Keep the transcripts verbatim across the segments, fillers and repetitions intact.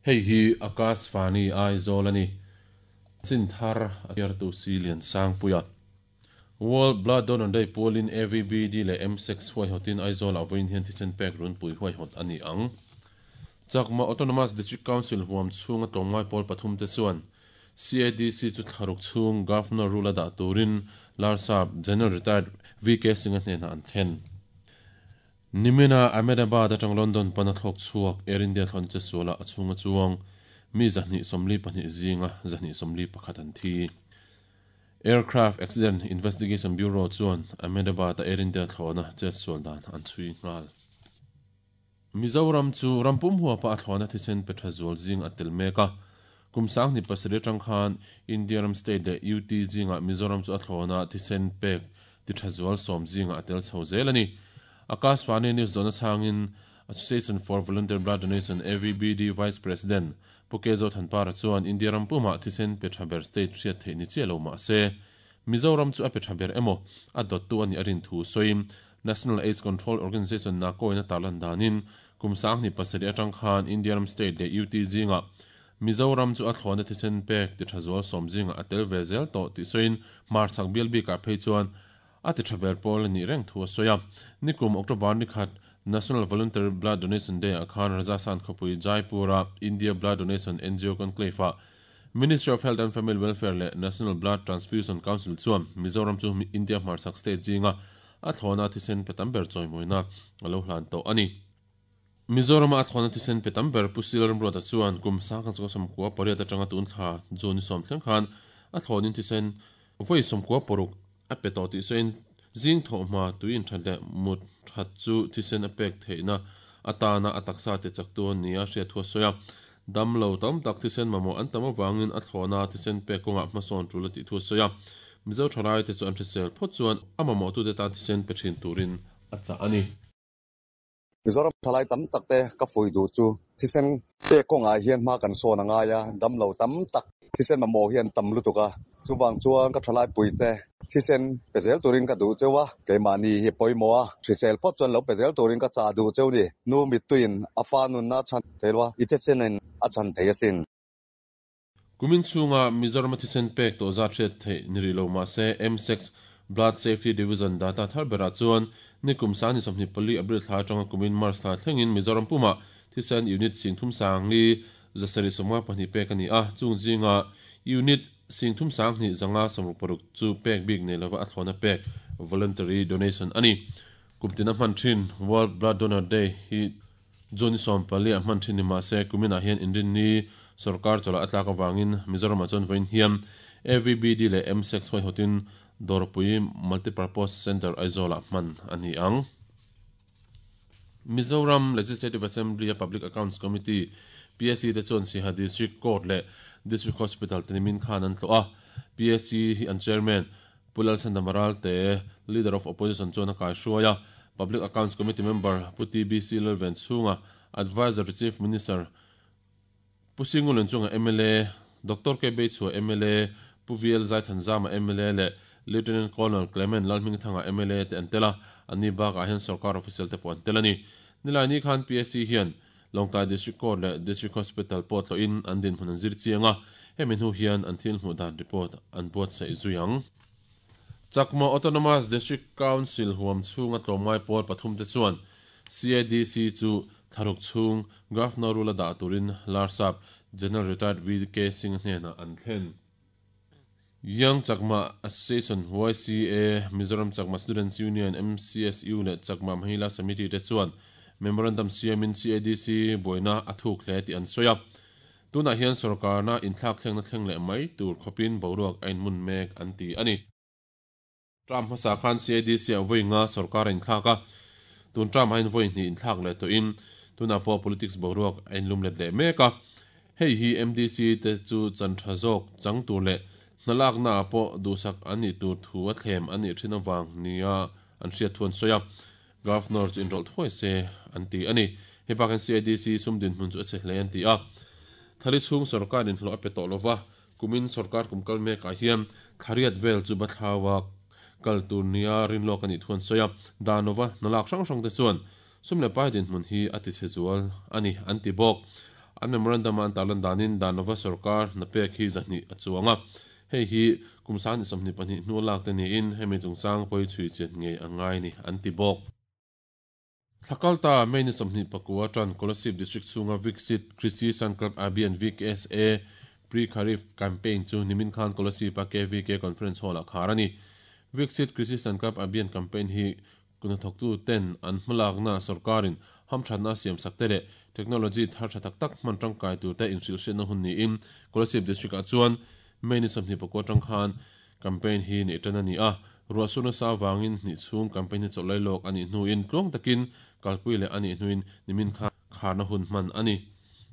Hei hi Akashvani Aizawl ani. Chin thar a chhiartu si lian sangpuia. World Blood Donor Day pualin A V B D leh M six huaihawtin Aizawl ah vawiin hian thisen pek runpui huaihawt a ni ang. Chakma Autonomous District Council huam chhunga tlawmngai pawl pathum te chuan C A D C chu thlaruk chhung Governor rule a dah turin Larsap General Retired V K Singh a hnenah an thlen. Nimina Ahmedabad atang London pana thlawk chhuak Air India thlawn che suala a chhunga chuang mi zahnih sawmli pahnih zinga zahnih sawmli pakhat an thi. Aircraft Accident Investigation Bureau chuan Ahmedabad a Air India thlawna chet sual dan an chhui nghal. Mizoram chu rampum huapa a thlawna thisen pe tha zual zing a tel mek a. Kum sang ni pasarih atang khan India ram state leh U T zinga Mizoram chu a thlawna thisen pek ti tha zual sawm zinga a tel chho zel ani. Akashvani News zona changin Association for Volunteer Blood Donation A V B D Vice President Pukezo Thanpara chuan India ram puma thisen pe tha ber state hriat theih ni che lo ma se Mizoram chu a pe tha ber emaw a dot tu ani arin thu soim National AIDS Control Organization na koina tarlan danin kum sang ni pasarih atang khan India ram state leh U T zinga Mizoram chu a thlawna thisen pek ti tha zual sawm zinga a tel ve zel tawh ti soin mar chak bial bikah phei chuan a ti tha ber pawl ani reng thu a sawi a. Nikum October ni khat National Voluntary Blood Donation Day a khan Rajasthan khawpui Jaipur-a India Blood Donation N G O Conclave-a Ministry of Health and Family Welfare leh National Blood Transfusion Council chuan Mizoram chu India hmarchhak state zinga a thlawna thisen pe tam ber chawimawina a lo hlan tawh ani. Mizoram a thlawna thisen pe tam ber Pusil Ramruata chuan kum sang khan chunga sawmkua pariat atanga tun thla June sawm thleng khan a thlawnin thisen vawi sawmkua paruk a pe tawh tih sawiin zing thawh hma tuin that leh mut that chu thisen a pek theihna atana a taksa te chak tu ania hriat thu a sawi a. Dam lo tam tak thisen mamawh an tam awangin a thlawna thisen pek kawngah hmasawn tul a tih thu a sawi a. Mizo thalai te chu an hrisel phawt chuan a mamawh tu te tan thisen pe thin turin a chah ani. Mizoram thalai tam tak te ka fui du chu thisen pek kawngah hian hma kan sawn angai a, dam lo tam tak thisen mamawh hian tam lutuk a. Chuwang chuan ka thalai pui te thisen pe zel turin ka du chewa keimahni hi pawimawh a, hrisel phawt chuan lo pe zel turin ka chah du cheu ni. Nu mituin a fa nunna chhan theilwa i thisen a chhan thei asin. Kumin chhunga Mizoram thisen pek tawh zat hriat theih ni rih lo mah se M six Blood Safety Division data thar berah chuan nikum sang ni sawmhnih pali April thla atanga kumin March thla thlengin Mizoram puma thisen unit sing thum sang li zasarih sawmnga pahnih pek ani a. Chung zinga unit sing thum sang hnih zanga sawmruk paruk chu pek bik nei lova a thlawna pek voluntary donation ani. Kumtina hman thin World Blood Donor Day hi June sawm pali a hman thin ni mah se kuminah hian inrin ni sarkar chawla a tlak awangin Mizoram ah chuan vawiin hian A V B D leh M six huaihawtin Dawrpui Multipurpose Center Aizawl ah hman ani ang. Mizoram Legislative Assembly a Public Accounts Committee P S C te chuan Siaha District Court leh District Hospital tenimin khan an tlawh a. P S C hi an chairman Pulal Sandamaral te Leader of Opposition chuan a kai hruai a. Public Accounts Committee member Pu T B C Lalven chhunga Advisor to Chief Minister Pu Singulen chunga M L A Doctor K B Chua M L A Pu V L Zaithanzama M L A leh Lieutenant Colonel Clement Lalhmingthanga M L A te an tela. Ani bakah hian sarkar official te pawh an tel ani. Nilai ni khan P S C hian Lawngtlai District Court leh District Hospital pawh tlawhin an dinhmun an zir chiang a. Hemi hnu hian an thil hmuh dan report an buatsaih zui ang. Chakma Autonomous District Council huam chhunga tlawmngai pawl pathum te chuan C A D C chu thlaruk chhung Governor rule a dah turin Larsap General Retired V K Singh hnenah an thlen. Young Chakma Association Y C A Mizoram Chakma Students Union M C S U leh Chakma Mahila Samiti te chuan Memorandum siamin C A D C buaina a thuk hle tih an sawi a. Tunah hian sarkarna inthlak thlengna thleng leh mai tur khawpin boruak a inmun mek an ti ani. Tram hmasa khan C A D C a vawi nga sarkar a inthlak a. Tun tram a in vawi hnih inthlak leh tawhin tunah pawh politics boruak a inlum let leh mek a. Hei hi M D C te chu chan tha zawk chang tur leh hnalakna ah pawh duhsak an nih tur thu a thlem an nih thin awang nia an hriat thu an sawi a. Governor chu inrawlh thuai se an ti ani. Hei bakin C A D C sum dinhmun chu a che hle an ti a. Thali chhung sarkar inhlawh a pe tawh lova kumin sarkar kum kal mekah hian thlariat vel chu bathlawa kal tur nia rinlawk ani thu an sawi a. Danova hnalak hrang hrang te chuan sum leh pai dinhmun hi a ti che zual ani an ti bawk. An memorandum an tarlan danin dan lova sarkar na pek hi zahni a chuanga. Hei hi kumsan somni pahnih hnu lak te niin hemi chungchang pawh chhui chian ngei a ngai ni an ti bawk. Thlakalta May ni sawmhnih pakua tan Kolasib District chhunga Viksit Krishi Sankalp Abhiyan V K S A Pre-Kharif Campaign chu nimin khan Kolasib a K V K Conference Hall a khar a ni. Viksit Krishi Sankalp Abhiyan Campaign hi kunathawktu ten an hmalakna sarkarin hamthatna siam sak te leh technology thar tha tak tak hman tangkai tur te inhrilhriatna hun niin Kolasib District ah chuan May ni sawmhnih pakua tang khan campaign hi nei tan a ni a. Ruahsuna sa wangin hnih chhung campaign hi chawlh lailawk a nih hnuin tluang takin kalpui leh a nih hnuin nimin khan kharna hun hman a ni.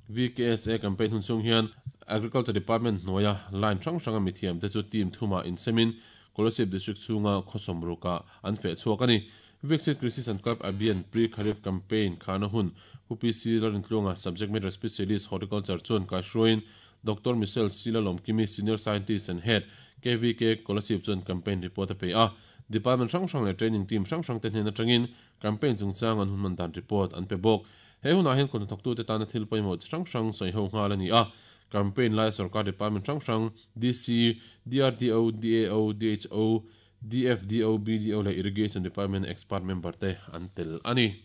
V K S A campaign hun chung hian Agriculture Department hnuaia line hrang hranga mithiam te chu team thuma insemin Kolasib District chhunga khawsawm ruka an feh chhuak a ni. Viksit Krishi Sankalp Abhiyan Pre-Kharif Campaign kharna hun U P C Lalrintluanga Subject Matter Specialist Horticulture chuan kaihruaiin Doctor Michelle Sila Lomkimi Senior Scientist and Head K V K Kolasib chuan campaign report a pe a. Department hrang hrang leh training team hrang hrang te hnen atangin campaign chungchang an hun man dan report an pe bawk. He hunah hian kawhnathawktu te tana thil pawimawh chi hrang hrang sawi ho nghal a ni a. Campaign lai sarkar department hrang hrang D C, D R D O, D A O, D H O, D F D O, B D O leh Irrigation Department expert member te an tel a ni.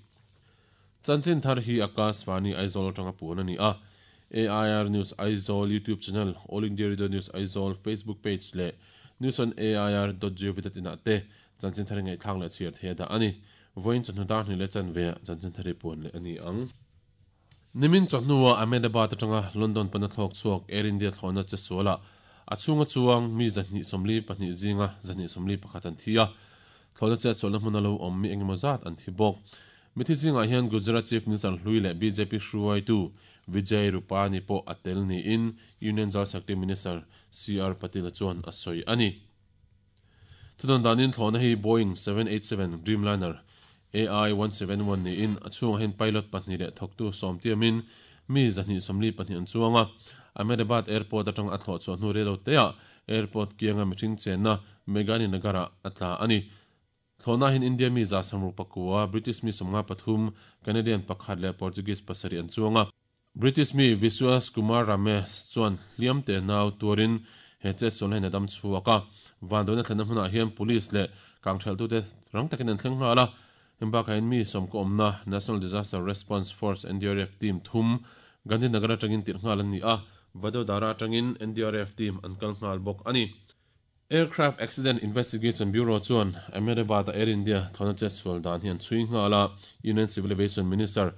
Chanchin thar hi Akashvani Aizawl atanga puan a ni a. A I R News Aizawl YouTube channel, All India Radio News Aizawl Facebook page leh news on A I R dot gov dot in ah te chanchin thar ngai thlang leh chhiar thei da ani. Voin chawhnu dar hnih leh chanve chanchin thar hi puan leh ani ang. Nimin chawhnuah Ahmedabad atanga London pana thlawk chhuak Air India thlawhna che suala a chhunga chuang mi zahnih sawmli pahnih zinga zahnih sawmli pakhat an thi a. Thlawhna che sualna hmun a lo awm mi engemaw zat an thi bawk. Mithi zingah hian Gujarat Chief Minister Hlui leh B J P hruaitu Vijay Rupani pawh a tel niin Union Jal Shakti Minister C R Patil chuan a sawi a ni. Thudawn danin thlawhna hi Boeing seven eight seven Dreamliner A I one seven one niin a chhungah hian pilot pahnih leh thawktu sawm tiamin mi zahnih sawmli pahnih an chuang a. Ahmedabad Airport atang a thlawh chhuah hnu relo teah airport kianga mihring chenna Megani Nagara a tla a ni. Thlawhna hin India mi za samruk pakua, British mi sawmnga pathum, Canadian pakhat leh Portuguese pasarih an chuang a. British mi Vishwas Kumar Ramesh chuan hliam te nau tuarin he che sualna hin a dam chhuak a. Vanduaina thlenna hmunah hian police leh kangtheltu te rang takin an thleng nghal a. Hembakah hian mi sawm ka awmna National Disaster Response Force N D R F team thum Gandhinagar atangin tirh nghal an ni a. Vadodara atangin N D R F team an kal nghal bawk a ni. Aircraft Accident Investigation Bureau chuan Ahmedabad Air India thlawhna che sual dan hian chhui nghal a. Union Civil Aviation Minister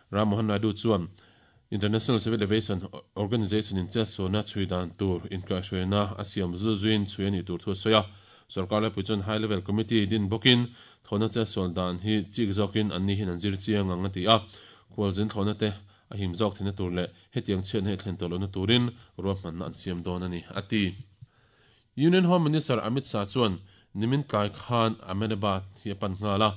Ram Mohan Naidu chuan International Civil Aviation Organization in che sualna chhui dan tur inkaihhruaina a siam zu zuin chhui ani tur thu a sawi a. Sarkar laipui chuan High Level Committee din bawkin thlawhna che sual dan hi chik zawkin an ni hin an zir chiang ang a ti a. Khualzin thlawhna te a him zawk theihna tur leh hetiang chhiatna hi thlen tawh lohna turin ruahmanna an siam dawn a ni a ti. Union Home Minister Amit Shah chuan nimin tlai khan Ahmedabad hi a pan nghal a.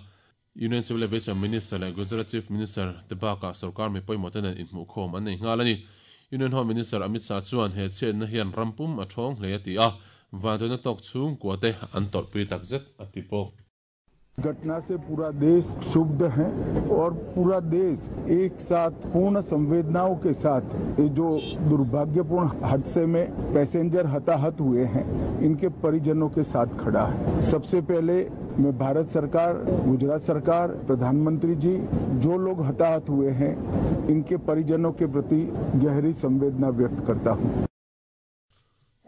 Union Civil Aviation Minister leh Gujarat Chief Minister te bakah sarkar mi pawimawh te nen inhmuh khawm an nei nghal a ni. Union Home Minister Amit Shah chuan he chhiatna hian rampum a thawng hle a ti a. Vanduaina tawk chhung kua te an tawrhpui tak zet a ti bawk. घटना से पूरा देश क्षुब्ध है और पूरा देश एक साथ पूर्ण संवेदनाओं के साथ ये जो दुर्भाग्यपूर्ण हादसे में पैसेंजर हताहत हुए हैं इनके परिजनों के साथ खड़ा है। सबसे पहले मैं भारत सरकार, गुजरात सरकार, प्रधानमंत्री जी, जो लोग हताहत हुए हैं इनके परिजनों के प्रति गहरी संवेदना व्यक्त करता हूँ।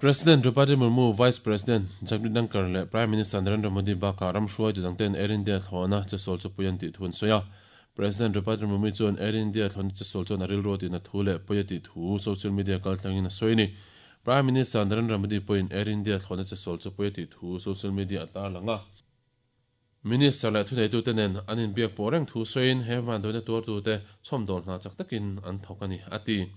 President Draupadi Murmu, Vice President Jagdeep Dhankhar leh Prime Minister Narendra Modi bakah ramhruai tu dangten Air India thlawhna che sawl chu pui an tih thun sawi a. President Draupadi Murmu chuan Air India thlawhna che sawl chuan a rilru tina thu leh pui a tih thu social media kaltlangin a sawi ni. Prime Minister Narendra Modi pawhin Air India thlawhna che sawl chu pui a tih thu social media a tarlang a. Minister leh thuneitu te nen an inbiak pawh reng thu sawiin he vanduaina tuartu te chhawmdawl hna chak takin an thawk a ni a ti.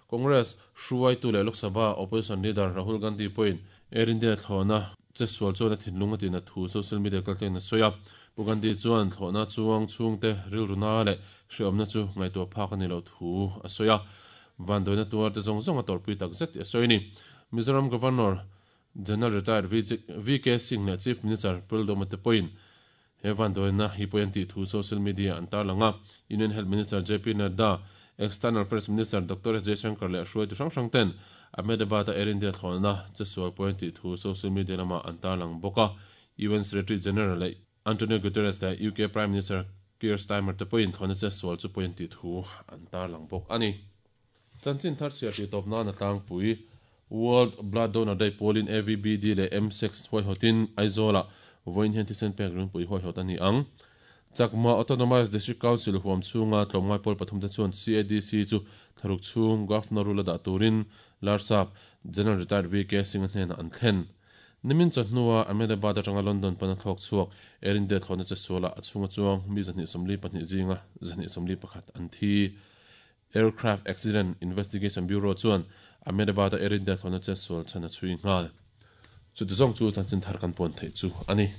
Congress hruaitu leh Lok Sabha opposition leader Rahul Gandhi pawhin Air India thlawhna che sual chuan a thinlung a tina thu social media kaltlangin a sawi a. Pu Gandhi chuan thlawhna chuang chhungte rilruna leh hriawmna chu ngaihtuah phak a ni lo thu a sawi a. Vanduaina tuar te zawng zawng a tawrhpui tak zet tih a sawi ni. Mizoram Governor General Retired V K Singh leh Chief Minister Pildoma te pawhin he vanduaina hi pawh an tih thu social media an tarlang a. Union Health Minister J P Nadda, External Affairs Minister Doctor S Jaishankar leh hruaitu hrang hrang ten Ahmedabad-a Air India thlawhna chesual pawi an tih thu social media lamah an tarlang bawk a. U N Secretary General leh Antonio Guterres leh U K Prime Minister Keir Starmer te pawhin thlawhna chesual chu pawi an tih thu an tarlang bawk a ni. Chanchin thar chhiar tih tawp nan a tlangpui. World Blood Donor Day pualin A V B D leh M six huaihawtin Aizawlah vawiin hian thisen pek ringpui huaihawt a ni ang. Chakma Autonomous District Council huam chhunga tlawmngai pawl pathum te chuan C A D C chu thlaruk chhung Governor rule a dah turin Larsap General Retired V K Singh-a hnenah an thlen. Nimin chawhnua Ahmedabad atanga London pana thlawk chhuak Air India thlawhna chesualah a chhunga chuang mi zahnih sawmli pahnih zinga zahnih sawmli pakhat an thi. Aircraft Accident Investigation Bureau chuan Ahmedabad-a Air India thlawhna chesual chhan a chhui nghal. Chuti zawng chu chanchin thar kan puan theih chu a ni.